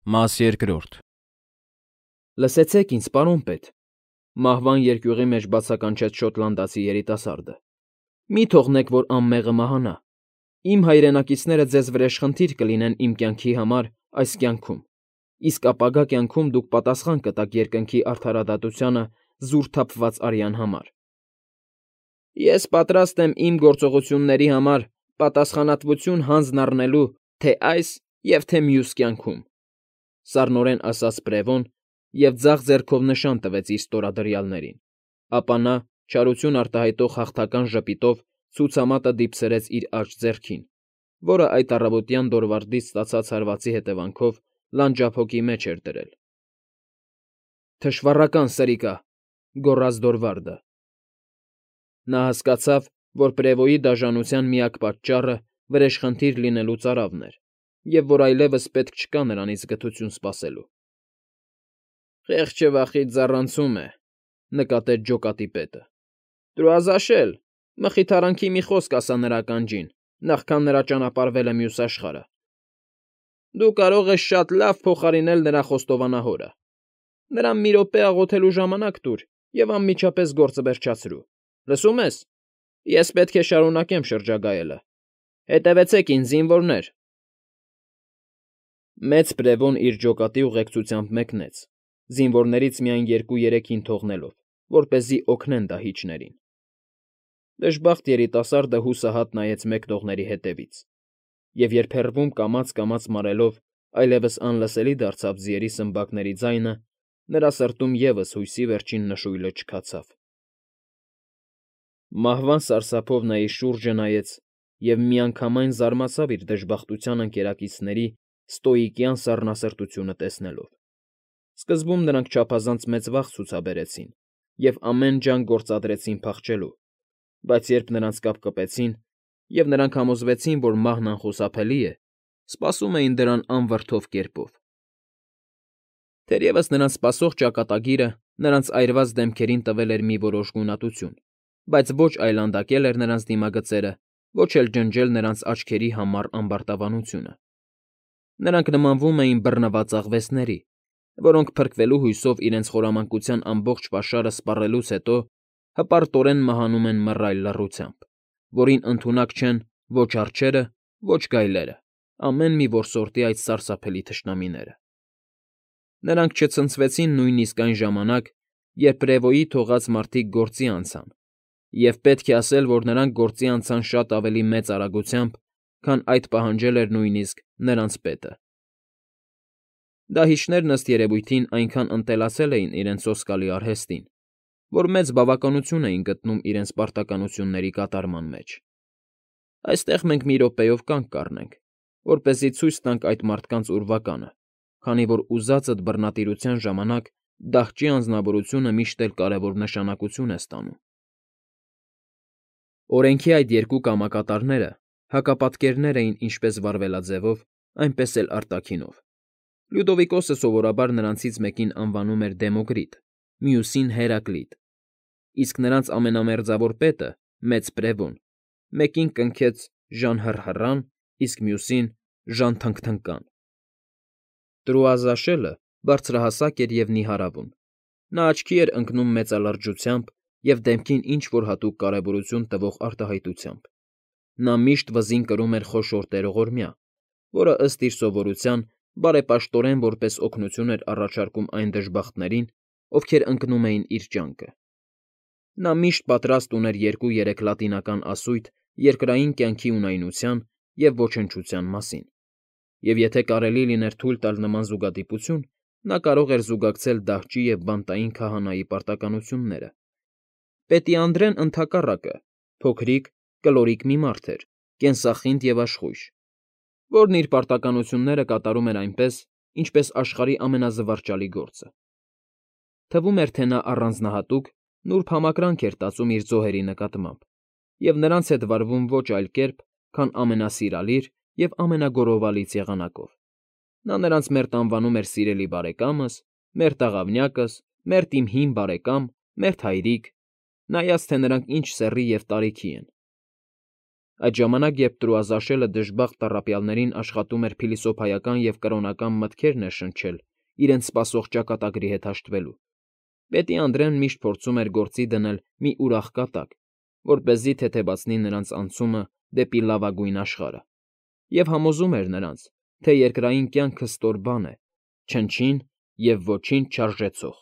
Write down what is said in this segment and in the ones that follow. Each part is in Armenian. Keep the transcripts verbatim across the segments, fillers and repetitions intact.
Մաս երկրորդ։ Լսեցեք ինձ, պարոն պետ,֊ մահվան երկյուղի մեջ բացականչեց շոտլանդացի երիտասարդը,֊ մի թողնեք, որ անմեղը մահանա. իմ հայրենակիցները ձեզ վրեժխնդիր կլինեն իմ կյանքի համար այս կյանքում, իսկ ապագա կյանքում դուք պատասխան կտաք երկնքի արդարադատությանը զուր թափված արյան համար։ Ես պատրաստ եմ իմ գործողությունների համար պատասխանատվություն հանձն առնելու թե այս և թե մյուս կյանքում,֊ սառնորեն ասաց Բրևոն և ձախ ձեռքով նշան տվեց իր ստորադրյալներին, ապա նա, չարություն արտահայտող հաղթական ժպիտով ցուցամատը դիպցրեց իր աջ ձեռքին, որը այդ առավոտյան դորվարդից ստացած հարվածի հետևանքով լանջափոկի մեջ էր դրել։ «Թշվառական սրիկա,֊ գոռաց Դորվարդը։ Նա հասկացավ, որ Պրևոյի դաժանության միակ պատճառը վրեժխնդիր լինելու ծարավն էր, և որ այլևս պետք չկա նրանից գթություն սպասելու։ «Խեղճը վախից ձառանցում է,֊ նկատեց ջոկատի պետը։֊ Դրուազաշել, մխիթարանքի մի խոսք ասա նրա ականջին, նախքան նրա ճանապարհվելը մյուս աշխարհը։ Դու կարող ես շատ լավ փոխարինել նրա խոստովանահորը։ Նրան մի րոպե աղոթելու ժամանակ տուր և անմիջապես գործը վերջացրու։ Լսո՞ւմ ես։ Ես պետք է շարունակեմ շրջագայելը։ Հետևեցեք ինձ, զինվորներ»։ Մեծ Պրևոն իր ջոկատի ուղեկցությամբ մեկնեց, զինվորներից միայն երկու֊երեքին թողնելով, որպեսզի օգնեն դահիճներին։ Դժբախտ երիտասարդը հուսահատ նայեց մեկնողների հետևից, և երբ հեռվում կամաց֊կամաց մարելով այլևս անլսելի դարձավ ձիերի սմբակների ձայնը, նրա սրտում ևս հույսի վերջին նշույլը չքացավ։ Մահվան սարսափով նա իր շուրջը նայեց և միանգամայն զարմացավ իր դժբախտության ընկերակիցների ստոիկյան սառնասրտությունը տեսնելով։ Սկզբում նրանք չափազանց մեծ վախ ցուցաբերեցին և ամեն ջանք գործադրեցին փախչելու, բայց երբ նրանց կապկպեցին, և նրանք համոզվեցին, որ մահն անխուսափելի է, սպասում էին դրան անվրդով կերպով։ Թերևս նրանց սպասող ճակատագիրը նրանց այրված դեմքերին տվել էր մի որոշ գունատություն, բայց ոչ այլանդակել էր նրանց դիմագծերը, ոչ էլ ջնջել նրանց աչքերի համառ ամբարտավանությունը։ Նրանք նմանվում էին բռնված աղվեսների, որոնք փրկվելու հույսով իրենց խորամանկության ամբողջ պաշարը սպառելուց հետո հպարտորեն մահանում են մռայլ լռությամբ, որին ընդունակ չեն ոչ արջերը, ոչ գայլերը, ամեն մի որսորդի այդ սարսափելի թշնամիները։ Նրանք չցնցվեցին նույնիսկ այն ժամանակ, երբ Պրևոյի թողած մարդիկ գործի անցան, և պետք է ասել, որ նրանք գործի անցան շատ ավելի մեծ արագությամբ, քան այդ պահանջել էր նույնիսկ նրանց պետը։ Դահիճներն, ըստ երևույթին, այնքան ընտելացել էին իրենց սոսկալի արհեստին, որ մեծ բավականություն էին գտնում իրենց պարտականությունների կատարման մեջ։ Այստեղ մենք մի րոպեով կանգ կառնենք, որպեսզի ցույց տանք այդ մարդկանց ուրվականը, քանի որ ուզածդ բռնատիրության ժամանակ դահճի անձնավորությունը միշտ էլ կարևոր նշանակություն է ստանում։ Օրենքի այդ երկու կամակատարները հակապատկերներ էին ինչպես վարվելաձևով, այնպես էլ արտաքինով։ Լյուդովիկոսը սովորաբար նրանցից մեկին անվանում էր Դեմոկրիտ, մյուսին՝ Հերակլիտ, իսկ նրանց ամենամերձավոր պետը՝ Մեծ Պրևոն, մեկին կնքեց Ժան-Հռհռան, իսկ մյուսին՝ Ժան֊Թնգթնկան։ Տրուազաշելը բարձրահասակ էր և նիհարավուն։ Նա աչքի էր ընկնում մեծալրջությամբ և դեմքին ինչ֊որ հատուկ կարևորություն տվող արտահայտությամբ։ Նա միշտ վզին կրում էր խոշոր տերողորմյա, որը, ըստ իր սովորության, բարեպաշտորեն որպես օգնություն էր առաջարկում այն դժբախտներին, ովքեր ընկնում էին իր ճանկը։ Նա միշտ պատրաստ ուներ երկու֊երեք լատինական ասույթ երկրային կյանքի ունայնության և ոչնչության մասին, և եթե կարելի լիներ թույլ տալ նման զուգադիպություն, նա կարող էր զուգակցել դահճի և բանտային քահանայի պարտականությունները։ Պետի Անդրեն, ընդհակառակը, փոքրիկ, կլորիկ մի մարդ էր, կենսախինդ և աշխույժ, որն իր պարտականությունները կատարում էր այնպես, ինչպես աշխարհի ամենազվարճալի գործը։ Թվում էր, թե նա առանձնահատուկ, նուրբ համակրանք էր տածում իր զոհերի նկատմամբ, և նրանց հետ վարվում ոչ այլ կերպ, քան ամենասիրալիր և ամենագոռովալից եղանակով։ Նա նրանց մերթ անվանում էր սիրելի բարեկամս, մերթ աղավնյակս, մերթ իմ հին բարեկամ, մերթ հայրիկ, նայած թե նրանք ինչ սեռի և տարիքի են։ Այդ ժամանակ, երբ Տրուազաշելը դժբախտ տառապյալներին աշխատում էր փիլիսոփայական և կրոնական մտքեր ներշնչել իրենց սպասող ճակատագրի հետ հաշտվելու, պետի Անդրեն միշտ փորձում էր գործի դնել մի ուրախ կատակ, որպեսզի թեթևացնի նրանց անցումը դեպի լավագույն աշխարհը, և համոզում էր նրանց, թե երկրային կյանքը ստոր բան է, չնչին և ոչինչ չարժեցող։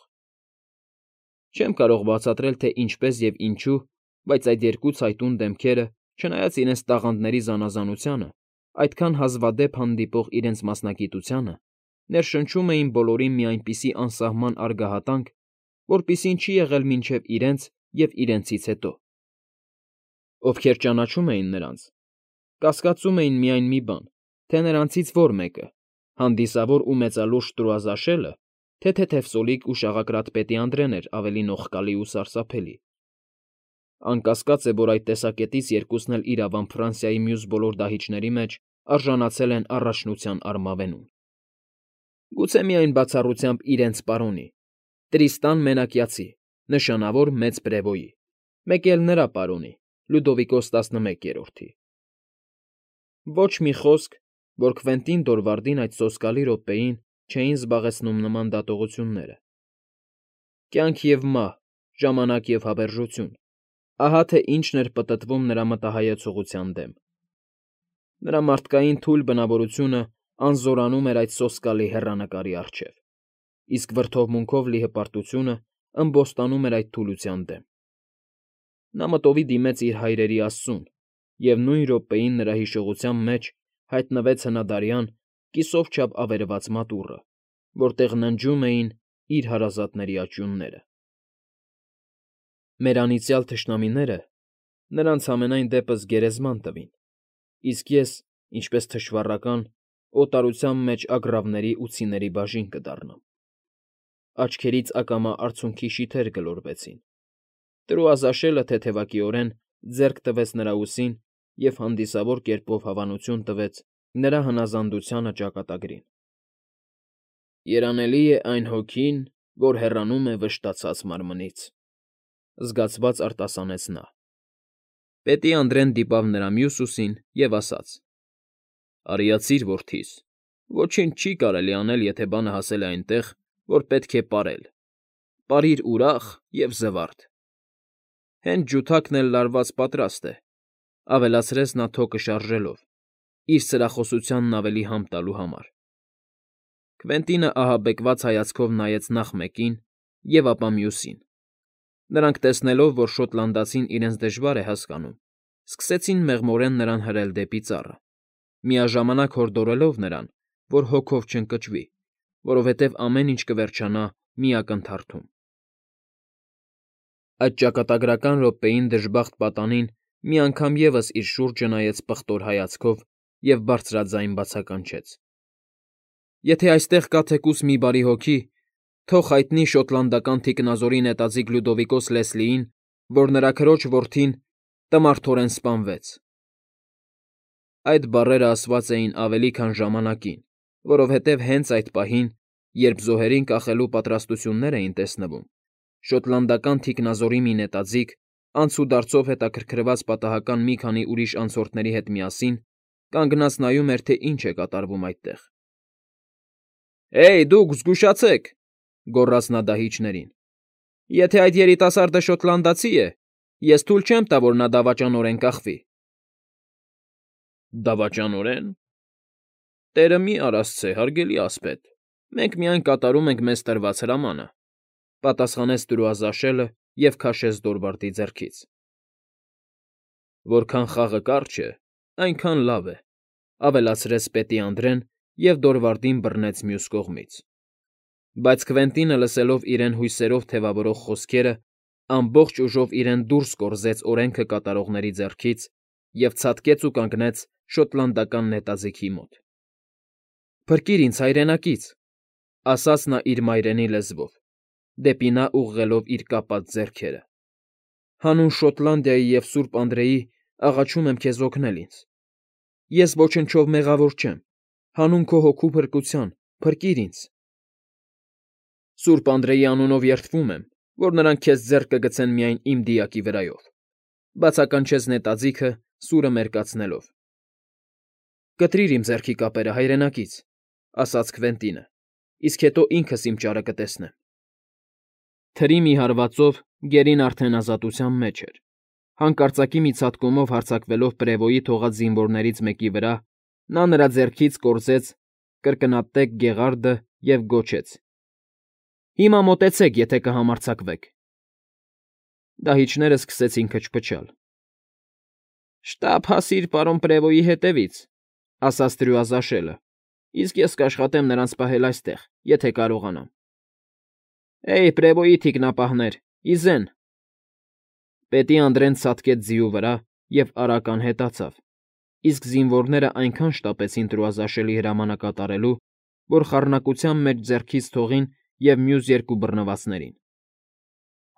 Չեմ կարող բացատրել, թե ինչպես և ինչու, բայց այդ երկու ցայտուն դեմքերը, չնայած իրենց տաղանդների զանազանությանը, այդքան հազվադեպ հանդիպող իրենց մասնագիտությանը, ներշնչում էին բոլորին մի այնպիսի անսահման արգահատանք, որպիսին չի եղել մինչև իրենց և իրենցից հետո։ Ովքեր ճանաչում էին նրանց, կասկածում էին միայն մի բան, թե նրանցից որ մեկը՝ հանդիսավոր ու մեծալուրջ Տրուազաշելը, թե թեթևսոլիկ ու շաղակրատ պետի Անդրեն էր ավելի նողկալի ու սարսափելի։ Անկասկած է, որ այդ տեսակետից երկուսն էլ իրավամբ Ֆրանսիայի մյուս բոլոր դահիճների մեջ արժանացել են առաջնության արմավենուն։ Գուցե միայն բացառությամբ իրենց պարոնի՝ Տրիստան Մենակյացի, նշանավոր մեծ պրևոյի, մեկ էլ նրա պարոնի՝ Լյուդովիկոս տասնմեկերորդի։ Ոչ մի խոսք, որ Քվենտին Դորվարդին այդ սոսկալի րոպեին չէին զբաղեցնում նման դատողությունները։ Կյանք և մահ, ժամանակ և հավերժություն, ահա թե ինչն էր պտտվում նրա մտահայեցողության դեմ։ Նրա մարդկային թույլ բնավորությունը անզորանում էր այդ սոսկալի հեռանկարի առջև, իսկ վրդովմունքով լի հպարտությունը ըմբոստանում էր այդ թուլության դեմ։ Նա մտովի դիմեց իր հայրերի Աստծուն, և նույն րոպեին նրա հիշողության մեջ հայտնվեց հնադարյան, կիսով չափ ավերված մատուռը, որտեղ ննջում էին իր հարազատների աճյունները։ Մեր անիծյալ թշնամիները նրանց համենայն դեպս գերեզման տվին, իսկ ես, ինչպես թշվառական, օտարության մեջ ագռավների ու ցիների բաժին կդառնամ։ Աչքերից ակամա արցունքի շիթեր գլորվեցին։ Տրուազաշելը թեթևակիորեն ձեռք տվեց նրա ուսին և հանդիսավոր կերպով հավանություն տվեց նրա հնազանդությանը ճակատագրին։ «Երանելի է այն հոգին, որ հեռանում է վշտացած մարմնից», զգացված արտասանեց նա։ Պետի Անդրեն դիպավ նրա մյուս ուսին և ասաց. «Արիացիր որդիս, ոչինչ չի կարելի անել, եթե բանը հասել է այնտեղ, որ պետք է պարել, պարիր ուրախ և զվարթ։ Հենց ջութակն էլ լարված պատրաստ է», ավելացրեց նա թոկը շարժելով, իր սրախոսությանն ավելի համը տալու համար։ Քվենտինը ահաբեկված հայացքով նայեց նախ մեկին և ապա մյուսին։ Նրանք, տեսնելով, որ շոտլանդացին իրենց դժվար է հասկանում, սկսեցին մեղմորեն նրան հրել դեպի ծառը, միաժամանակ հորդորելով նրան, որ հոգով չընկճվի, որովհետև ամեն ինչ կվերջանա մի ակնթարթում։ Այդ ճակատագրական րոպեին դժբախտ պատանին մի անգամ ևս իր շուրջը նայեց պղտոր հայացքով և բարձրաձայն բացականչեց. «Եթե այստեղ կա թեկուզ մի բարի հոգի, թող հայտնի շոտլանդական թիկնազորի նետաձիգ Լյուդովիկոս Լեսլիին, որ նրա քրոջ որդին տմարդորեն սպանվեց»։ Այդ բառերը ասված էին ավելի քան ժամանակին, որովհետև հենց այդ պահին, երբ զոհերին կախելու պատրաստություններ էին տեսնվում, շոտլանդական թիկնազորի մի նետաձիգ, անցուդարձով հետաքրքրված պատահական մի քանի ուրիշ անցորդների հետ միասին, կանգնած նայում էր, թե ինչ է կատարվում այդտեղ։ «Հեյ, դուք զգուշացեք», գոռաց նա դահիճներին։ «Եթե այդ երիտասարդը շոտլանդացի է, ես թույլ չեմ տա, որ նա դավաճանորեն կախվի»։ «Դավաճանորեն… Տերը մի արասցե, հարգելի ասպետ, մենք միայն կատարում ենք մեզ տրված հրամանը», պատասխանեց Տրուազաշելը և քաշեց Դորվարդի ձեռքից։ «Որքան խաղը կարճ է, այնքան լավ է», ավելացրեց պետի Անդրեն և Դորվարդին բռնեց մյուս կողմից։ Բայց Քվենտինը, լսելով իրեն հույսերով թևավորող խոսքերը, ամբողջ ուժով իրեն դուրս կորզեց օրենքը կատարողների ձեռքից և ցատկեց ու կանգնեց շոտլանդական նետաձիգի մոտ։ «Փրկիր ինձ, հայրենակից», ասաց նա իր մայրենի լեզվով, դեպի նա ուղղելով իր կապած ձեռքերը։ «Հանուն Շոտլանդիայի և Սուրբ Անդրեի աղաչում եմ քեզ օգնել ինձ։ Ես ոչնչով մեղավոր չեմ, հանուն քո հոգու փրկության փրկիր ինձ»։ «Սուրբ Անդրեի անունով երդվում եմ, որ նրանք քեզ ձեռք կգցեն միայն իմ դիակի վրայով», բացականչեց նետաձիգը, սուրը մերկացնելով։ ֊ Կտրիր իմ ձեռքի կապերը, հայրենակից, ֊ ասաց Քվենտինը, իսկ հետո ինքս իմ ճարը կտեսնեմ։ Թրի մի հարվածով գերին արդեն ազատության մեջ էր։ Հանկարծակի մի ցատկումով հարձակվելով Պրևոյի թողած զինվորներից մեկի վրա, նա նրա ձեռքից կորզեց կրկնատեք գեղարդը և գոչեց. ֊ Հիմա մոտեցեք, եթե կհամարձակվեք։ Դահիճները սկսեցին քչփչալ։ ֊ Շտապ հասիր պարոն Պրևոյի հետևից, ֊ ասաց թրյուազաշելը, ֊ իսկ ես կաշխատեմ նրանց պահել այստեղ, եթե կարողանամ։ ֊ Էյ, Պրևոյի թիկնապահներ, ի զեն… Պետի Անդրեն ցատկեց ձիու վրա և արագ անհետացավ, իսկ զինվորներն այնքան շտապեցին տրուազաշելի հրամանը կատարելու, որ խառնակության մեջ ձեռքից թողին և մյուս երկու բռնվածներին։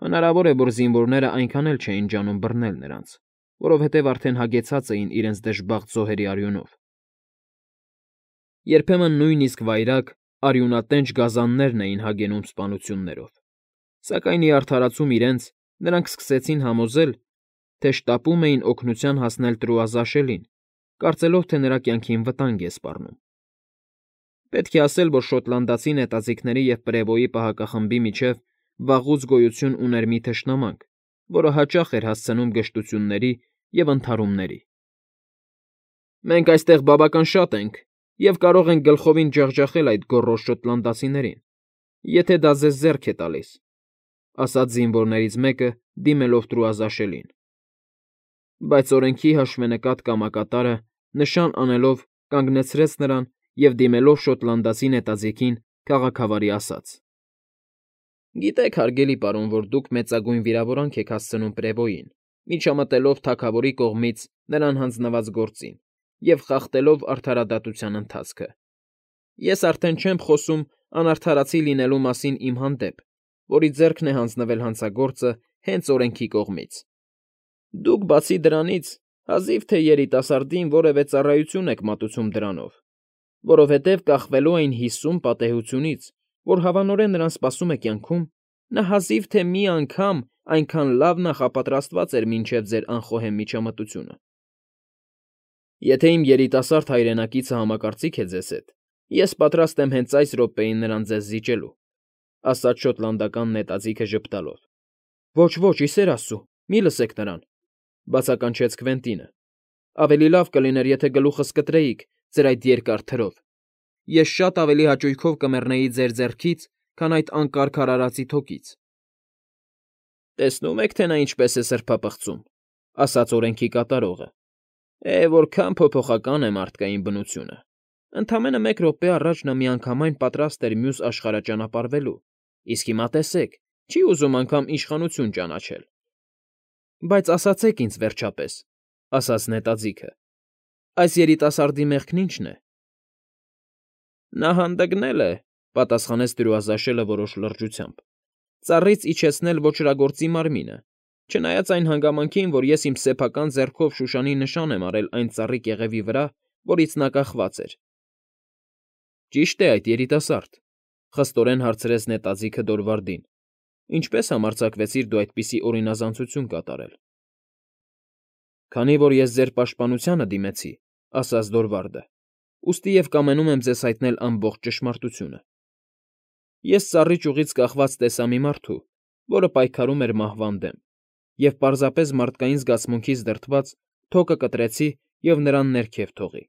Հնարավոր է, որ զինվորներն այնքան էլ չէին ջանում բռնել նրանց, որովհետև արդեն հագեցած էին իրենց դժբախտ զոհերի արյունով։ Երբեմն նույնիսկ վայրագ, արյունատենչ գազաններն էին հագենում սպանություններով, սակայն ի արդարացում իրենց նրանք սկսեցին համոզել, թե շտապում էին օգնության հասնել տրուազաշելին, կարծելով, թե նրա կյանքին վտանգ է սպառնում։ Պետք է ասել, որ շոտլանդացի նետաձիգների և Պրևոյի պահակախմբի միջև վաղուց գոյություն ուներ մի թշնամանք, որը հաճախ էր հասցնում գժտությունների և ընդհարումների։ Մենք այստեղ բավական շատ ենք և կարող ենք գլխովին ջախջախել այդ գոռոզ շոտլանդացիներին, եթե դա ձեզ ձեռք է տալիս, ֊ ասաց զինվորներից մեկը, դիմելով տրուազաշելին։ Բայց օրենքի հաշվենկատ կամակատարը, նշան անելով, կանգնեցրեց նրան և, դիմելով շոտլանդացի նետաձիգին, քաղաքավարի ասաց. ֊ Գիտեք, հարգելի պարոն, որ դուք մեծագույն վիրավորանք եք հասցնում Պրևոյին, միջամտելով թագավորի կողմից նրան հանձնված գործին և խախտելով արդարադատության ընթացքը։ Ես արդեն չեմ խոսում անարդարացի լինելու մասին իմ հանդեպ, որի ձեռքն է հանձնվել հանցագործը հենց օրենքի կողմից։ Դուք, բացի դրանից, հազիվ թե երիտասարդին որևէ ծառայություն եք մատուցում դրանով, որովհետև կախվելու այն հիսուն պատեհությունից, որ հավանորեն նրան սպասում է կյանքում, նա հազիվ թե մի անգամ այնքան լավ նախապատրաստված էր մինչև ձեր անխոհեմ միջամտությունը։ Եթե իմ երիտասարդ հայրենակիցը համակարծիք է ձեզ հետ, ես պատրաստ եմ հենց այս րոպեին նրան ձեզ զիջելու, ֊ ասաց շոտլանդական նետաձիգը ժպտալով։ ֊ Ոչ, ոչ, ի սեր աստծու, մի լսեք նրան, ֊ բացականչեց Քվենտինը։ Ավելի լավ կլիներ, եթե գլուխս կտրեիք ձեր այդ երկար թրով։ Ես շատ ավելի հաճույքով կմեռնեի ձեր ձեռքից, քան այդ անկարգ արարածի թոքից։ Տեսնում եք, թե նա ինչպես է սրբապղծում, ֊ ասաց օրենքի կատարողը։ Է, որքան փոփոխական է մարդկային բնությունը… Ընդամենը մեկ րոպե առաջ նա միանգամայն պատրաստ էր մյուս աշխարհը ճանապարհվելու, իսկ հիմա տեսեք, չի ուզում անգամ իշխանություն ճանաչել։ Բայց ասացեք ինձ, վերջապես, ֊ ասաց նետաձիգը, ֊ այս երիտասարդի մեղքն ի՞նչն է։ Նա հանդգնել է, ֊ պատասխանեց տրուազաշելը որոշ լրջությամբ, ֊ ծառից իջեցնել ոճրագործի մարմինը, չնայած այն հանգամանքին, որ ես իմ սեփական ձեռքով շուշանի նշան եմ արել այն ծառի կեղևի վրա, որից նա կախված էր։ Ճի՞շտ է այդ, երիտասարդ, ֊ խստորեն հարցրեց նետաձիգը Դորվարդին, ֊ ինչպե՞ս համարձակվեցիր դու այդպիսի օրինազանցություն կատարել։ Քանի որ ես ձեր պաշտպանությանը դիմեցի, ֊ ասաց Դորվարդը, ֊ ուստի և կամենում եմ ձեզ հայտնել ամբողջ ճշմարտությունը։ Ես ծառի ճյուղից կախված տեսա մի մարդու, որը պայքարում էր մահվան դեմ, և պարզապես մարդկային զգացմունքից դրդված թոկը կտրեցի և նրան ներքև թողի։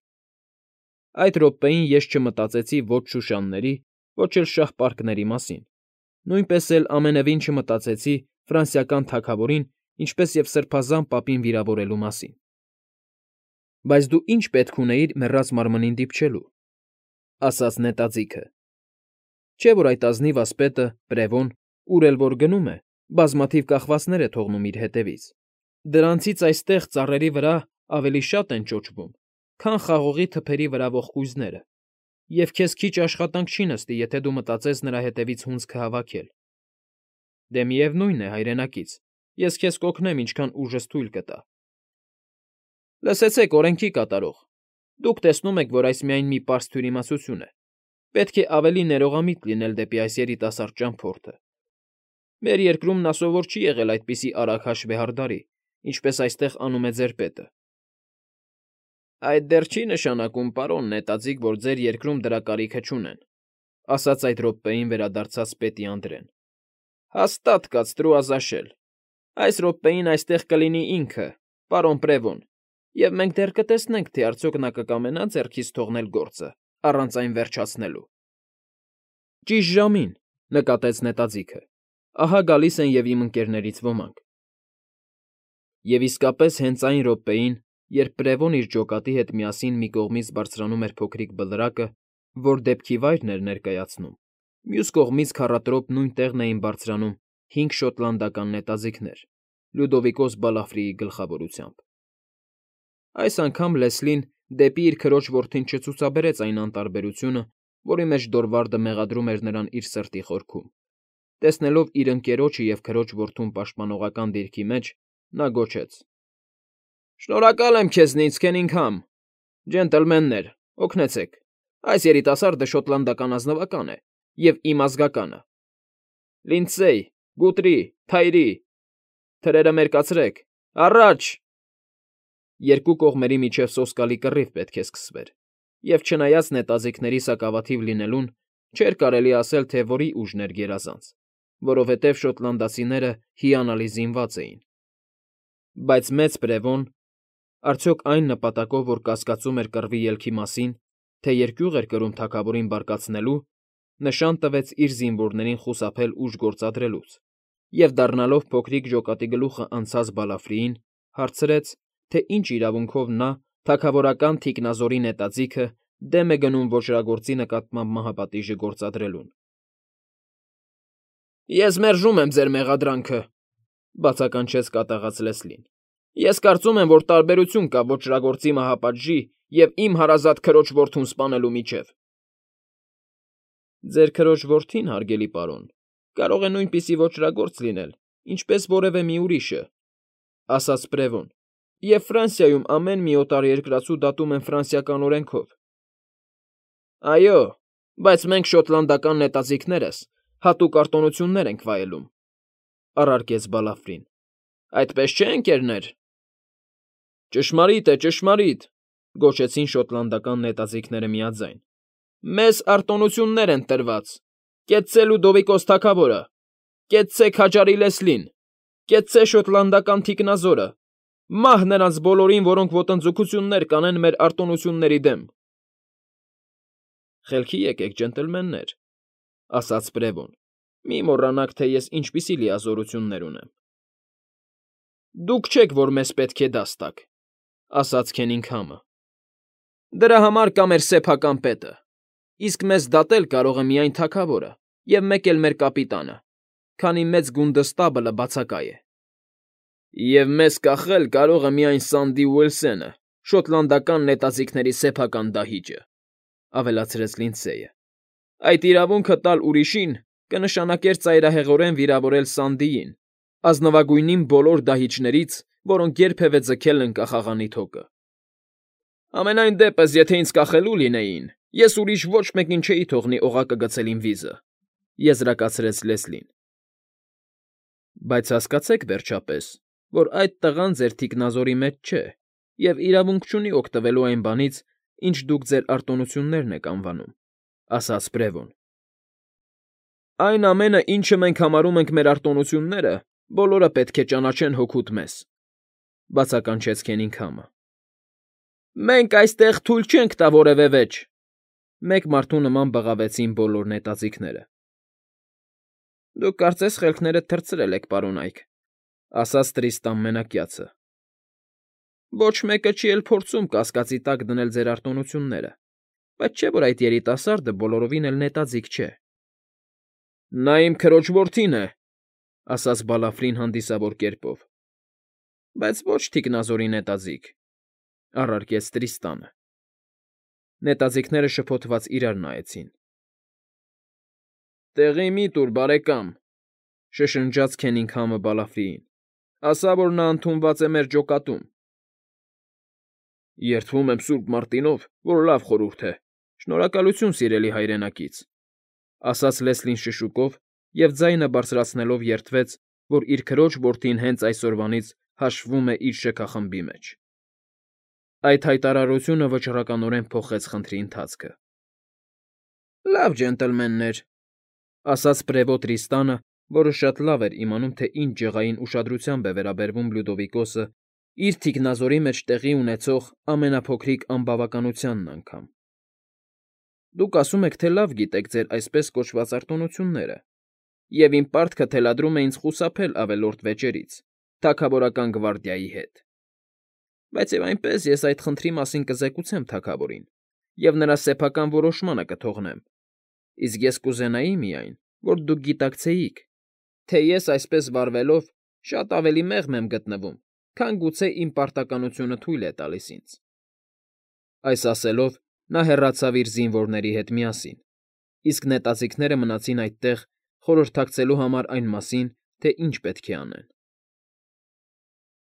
Այդ րոպեին ես չմտածեցի ոչ շուշանների, ոչ էլ շաղ֊պարկների մասին, նույնպես էլ ամենևին չմտածեցի ֆրանսիական թագավորին, ինչպես և սրբազան պապին վիրավորելու մասին։ Բայց դու ի՞նչ պետք ունեիր մեռած մարմնին դիպչելու, ֊ ասաց նետաձիգը։ Չէ՞ որ այդ ազնիվ ասպետը, Պրևոն, ուր էլ որ գնում է, բազմաթիվ կախվածներ է թողնում իր հետևից։ Դրանցից այստեղ, ծառերի վրա, ավելի շատ են ճոճվում, քան խաղողի թփերի վրա ողկույզները, և քեզ քիչ աշխատանք չի նստի, եթե դու մտածես նրա հետևից հունձքը հավաքել։ Դե միևնույն է, հայրենակից, ես քեզ կօգնեմ, ինչքան ուժս թույլ կտա։ Լսեցեք, օրենքի կատարող, դուք տեսնում եք, որ այս միայն մի պարզ թյուրիմացություն է, պետք է ավելի ներողամիտ լինել դեպի այս երիտասարդ ճամփորդը։ Մեր երկրում նա սովոր չի եղել այդպիսի արագ հաշվեհարդարի, ինչպես այստեղ անում է ձեր պետը։ Այդ դեռ չի նշանակում, պարոն նետաձիգ, որ ձեր երկրում դրա կարիքը չունեն, ասաց այդ րոպեին վերադարձած պետի Անդրեն։ Հաստատ կաց Տրուազաշել։ Այս րոպեին այստեղ կլինի ինքը, պարոն Պրևոն, և մենք դեռ կտեսնենք, թե արդյոք նա կկամենա ձեռքից թողնել գործը, առանց այն վերջացնելու։ Ճիշտ ժամին, նկատեց նետաձիգը, ահա գալիս են և իմ ընկերներից ոմանք։ Եվ իսկապես հենց այն րոպեին, երբ Պրևոն իր ջոկատի հետ միասին մի կողմից բարձրանում էր փոքրիկ բլրակը, որ դեպքի վայրն էր ներկայացնում, մյուս կողմից քառատրոպ նույն տեղն էին բարձրանում հինգ շոտլանդական նետաձիգներ, Լյուդովիկոս Բալաֆրիի գլխավորությամբ։ Այս անգամ Լեսլին դեպի իր քրոջ որդին չցուցաբերեց այն անտարբերությունը, որի մեջ Դորվարդը մեղադրում էր նրան իր սրտի խորքում։ Տեսնելով իր ընկերոջը և քրոջ որդուն պաշտպանողական դիրքի մեջ, նա գոչեց. Շնորհակալ եմ քեզնից, Քենինգհամ, ջենտլմեններ, օգնեցեք, այս երիտասարդը շոտլանդական ազնվական է և իմ ազգականը։ Լինդսեյ, Գուտրի, Թայրի, թրերը մերկացրեք, առաջ… Երկու կողմերի միջև սոսկալի կռիվ պետք է սկսվեր, և չնայած նետաձիգների սակավաթիվ լինելուն, չէր կարելի ասել, թե որի ուժն էր գերազանց, որովհետև շոտլանդացիները հիանալի զինված էին։ Բայց մեծ Պրևոն, արդյոք այն նպատակով, որ կասկածում էր կռվի ելքի մասին, թե երկյուղ էր կրում թագավորին բարկացնելու, նշան տվեց իր զինվորներին խուսափել ուժ գործադրելուց և, դառնալով փոքրիկ ջոկատի գլուխը անցած Բալաֆրիին, հարցրեց, թե ինչ իրավունքով նա, թագավորական թիկնազորի նետաձիգը, դեմ է գնում ոճրագործի նկատմամբ մահապատիժը գործադրելուն։ Ես մերժում եմ ձեր մեղադրանքը, բացականչեց կատաղած Լեսլին։ Ես կարծում եմ, որ տարբերություն կա ոճրագործի մահապատժի և իմ հարազատ քրոջ որդուն սպանելու միջև։ Ձեր քրոջ որդին, հարգելի պարոն, կարող է նույնպիսի ոճրագործ լինել, ինչպես որևէ մի ուրիշը, ասաց Պրևոն, և Ֆրանսիայում ամեն մի օտարերկրացու դատում են ֆրանսիական օրենքով։ Այո, բայց մենք շոտլանդական նետաձիգներս հատուկ արտոնություններ ենք վայելում, առարկեց Բալաֆրին։ Այդպես չէ՞, ընկերներ։ Ճշմարիտ է, ճշմարիտ, գոչեցին շոտլանդական նետաձիգները միաձայն։ Մեզ արտոնություններ են տրված։ Կեցցե Լյուդովիկոս թագավորը, կեցցե քաջարի Լեսլին, կեցցե շոտլանդական թիկնազորը, մահ նրանց բոլորին, որոնք ոտնձգություններ կանեն մեր արտոնությունների դեմ։ Խելքի եկեք, ջենտլմեններ, ասաց Պրևոն, մի մոռանաք, թե ես ինչպիսի լիազորություններ ունեմ։ Դուք չեք, որ մեզ պետք է դաս տաք, ասաց Քենինգհամը։ Դրա համար կա մեր սեփական պետը, իսկ մեզ դատել կարող է միայն թագավորը և մեկ էլ մեր կապիտանը, քանի մեծ գունդստաբլը բացակա է։ Եվ մեզ կախել կարող է միայն Սանդի Ուիլսենը, շոտլանդական նետաձիգների սեփական դահիճը, ավելացրեց Լինդսեյը։ Այդ իրավունքը տալ ուրիշին կնշանակեր ծայրահեղորեն վիրավորել Սանդիին, ազնվագույնին բոլոր դահիճներից, որոնք երբևէ ձգել են կախաղանի թոկը։ Համենայն դեպս, եթե ինձ կախելու լինեին, ես ուրիշ ոչ մեկին չէի թողնի օղակը գցել իմ վիզը, եզրակացրեց Լեսլին։ Բայց հասկացեք, վերջապես, որ այդ տղան ձեր թիկնազորի մեջ չէ և իրավունք չունի օգտվելու այն բանից, ինչ դուք ձեր արտոնություններն եք անվանում, ասաց Պրևոն։ Այն ամենը, ինչը մենք համարում ենք մեր արտոնությունները, բոլորը պետք է ճանաչեն հօգուտ մեզ, բացականչեց Քենինգհամը։ Մենք այստեղ թույլ չենք տա որևէ վեճ, մեկ մարդու նման բղավեցին բոլոր նետաձիգները։ Դուք կարծես խելքներդ թռցրել եք, պարոն Այք, ասաց Տրիստան Մենակյացը։ Ոչ մեկը չի էլ փորձում կասկածի տակ դնել ձեր արտոնությունները, բայց չէ՞ որ այդ երիտասարդը բոլորովին էլ նետաձիգ չէ։ Նա իմ քրոջ որդին է, ասաց Բալաֆրին հանդիսավոր կերպով։ Բայց ոչ թիկնազորի նետաձիգ, առարկեց Տրիստանը։ Նետաձիգները շփոթված իրար նայեցին։ Տեղի մի տուր, բարեկամ, շշնջաց Քենինգհամը Բալաֆրիին, ասա, որ նա ընդունված է մեր ջոկատում։ Երդվում եմ Սուրբ Մարտինով, որ լավ խորհուրդ է, շնորհակալություն սիրելի հայրենակից, ասաց Լեսլին շշուկով և ձայնը բարձրացնելով երդվեց, որ իր քրոջ որդին հենց այսօրվանից հաշվվում է իր շքախմբի մեջ։ Այդ հայտարարությունը վճռականորեն փոխեց խնդրի ընթացքը։ ֊ Լավ, ջենտլմեններ,֊ ասաց պրևոտ Տրիստանը, որը շատ լավ էր իմանում, թե ինչ ջղային ուշադրությամբ է վերաբերվում Լյուդովիկոսը իր թիկնազորի մեջ տեղի ունեցող ամենափոքրիկ անբավականությանն անգամ։ Դուք ասում եք, թե լավ գիտեք ձեր այսպես կոչված արտոնությունները, և իմ պարտքը թելադրում է ինձ խուսափել ավելորդ վեճերից, թագավորական գվարդիայի հետ։ Բայց և այնպես ես այդ խնդրի մասին կզեկուցեմ թագավորին և նրա սեփական որոշմանը կթողնեմ, իսկ ես կուզենայի միայն, որ դուք գիտակցեիք, թե ես այսպես վարվելով շատ ավելի մեղմ եմ գտնվում, քան գուցե իմ պարտականությունը թույլ է տալիս ինձ։ Այս ասելով, նա հեռացավ իր զինվորների հետ միասին, իսկ նետաձիգները մնացին այդտեղ խորհրդակցելու համար այն մասին, թե ինչ պետք է անեն։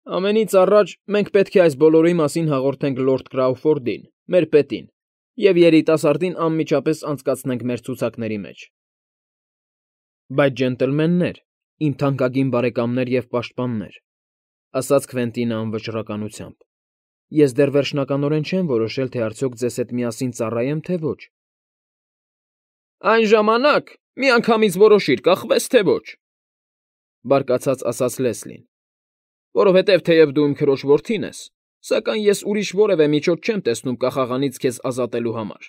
Ամենից առաջ մենք պետք է այս բոլորի մասին հաղորդենք լորդ Կրաուֆորդին, մեր պետին, և երիտասարդին անմիջապես անցկացնենք մեր ցուցակների մեջ։ ֊ Բայց, ջենտլմեններ, իմ թանկագին բարեկամներ և պաշտպաններ,֊ ասաց Քվենտինը անվճռականությամբ,֊ ես դեռ վերջնականորեն չեմ որոշել, թե արդյոք ձեզ հետ միասին ծառայեմ, թե ոչ։ ֊ Այն ժամանակ միանգամից որոշիր՝ կախվես, թե ոչ,֊ բարկացած ասաց Լեսլին,֊ որովհետև թեև դու իմ քրոջ որդին ես, սակայն ես ուրիշ որևէ միջոց չեմ տեսնում կախաղանից քեզ ազատելու համար։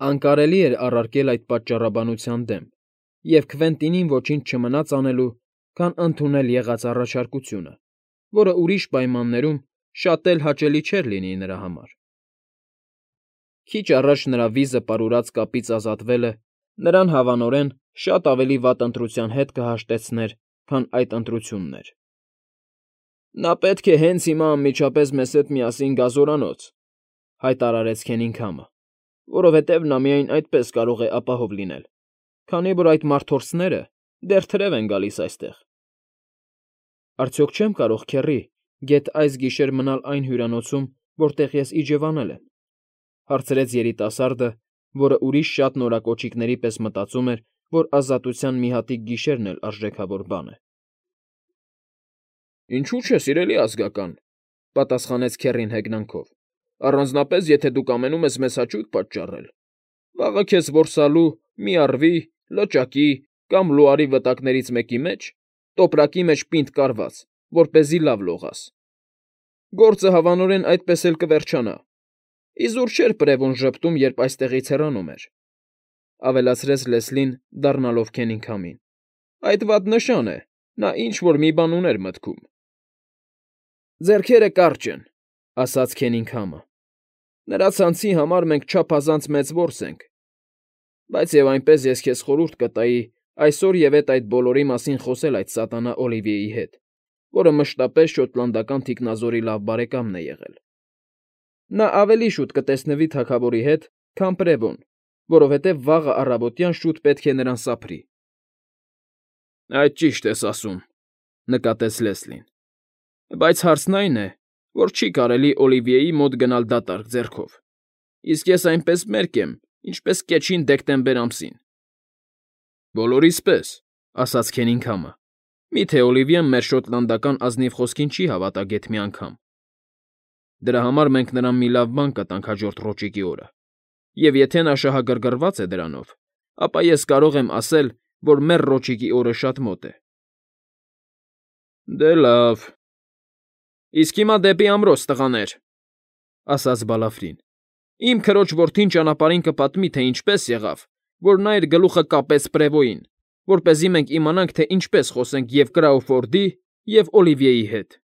Անկարելի էր առարկել այդ պատճառաբանության դեմ, և Քվենտինին ոչինչ չմնաց անելու, քան ընդունել եղած առաջարկությունը, որը ուրիշ պայմաններում շատ էլ հաճելի չէր լինի նրա համար։ Քիչ առաջ նրա վիզը պարուրած կապից ազատվելը նրան, հավանորեն, շատ ավելի վատ ընտրության հետ կհաշտեցներ, քան այդ ընտրությունն էր։ ֊ Նա պետք է հենց հիմա անմիջապես մեզ հետ միասին գա զորանոց,֊ հայտարարեց Քենինգհամը,֊ որովհետև նա միայն այդպես կարող է ապահով լինել, քանի որ այդ մարդորսները դեռ թրև են գալիս այստեղ։ ֊ Արդյոք չեմ կարող, քեռի, գեթ այս գիշեր մնալ այն հյուրանոցում, որտեղ ես իջևանել եմ,֊ հարցրեց երիտասարդը, որը ուրիշ շատ նորակոճիկների պես մտածում էր, որ ազատության մի հատիկ գիշերն էլ արժեքավոր բան է։ ֊ Ինչո՞ւ չէ, սիրելի ազգական,֊ պատասխանեց քեռին հեգնանքով,֊ առանձնապես, եթե դու կամենում ես մեզ հաճույք պատճառել։ Վաղը քեզ որսալու մի առվի, լճակի կամ լուարի վտակներից մեկի մեջ, տոպրակի մեջ պինդ կարված, որպեսզի լավ լողաս։ Գործը հավանորեն այդպես էլ կվերջանա։ Իզուր չէր պրևուն ժպտում, երբ այստեղից հեռանում էր,֊ ավելացրեց Լեսլին, դառնալով Քենինգհամին,֊ այդ վատ նշան է, նա ինչ֊որ մի բան ուներ մտքում։ ֊ Ձեռքերը կարճ են,֊ ասաց Քենինգհամը,֊ նրա ցանցի համար մենք չափազանց մեծ որս ենք, բայց և այնպես ես քեզ խորհուրդ կտայի այսօր և էդ այդ բոլորի մասին խոսել այդ սատանա Օլիվիեի հետ, որը մշտապես շոտլանդական թիկնազորի լավ բարեկամն է եղել։ Նա ավելի շուտ կտեսնվի թագավորի հետ, քան պրևոն, որովհետև վաղը առավոտյան շուտ պետք է նրան սափրի։ ֊ Այդ ճիշտ ես ասում,֊ նկատեց Լեսլին,֊ բայց հարցն այն է, որ չի կարելի Օլիվիեի մոտ գնալ դատարկ ձեռքով, իսկ ես այնպես մերկ եմ, ինչպես կեչին դեկտեմբեր ամսին։ ֊ Բոլորիս պես,֊ ասաց Քենինգհամը,֊ մի՞թե Օլիվիեն մեր շոտլանդական ազնիվ խոսքին չի հավատա գեթ մի անգամ։ Դրա համար մենք նրան մի լավ բան կտանք հաջորդ ռոճիկի օրը, և եթե նա շահագրգռված է դրանով, ապա ես կարող եմ ասել, որ մեր ռոճիկի օրը շատ մոտ է։ ֊ Դե լավ։ Իսկ հիմա դեպի ամրոց, տղաներ,֊ ասաց Բալաֆրին,֊ իմ քրոջ որդին ճանապարհին կպատմի, թե ինչպես եղավ, որ նա իր գլուխը կապեց պրևոյին, որպեսզի մենք իմանանք, թե ինչպես խոսենք և Կրաուֆորդի, և Օլիվիեի հետ։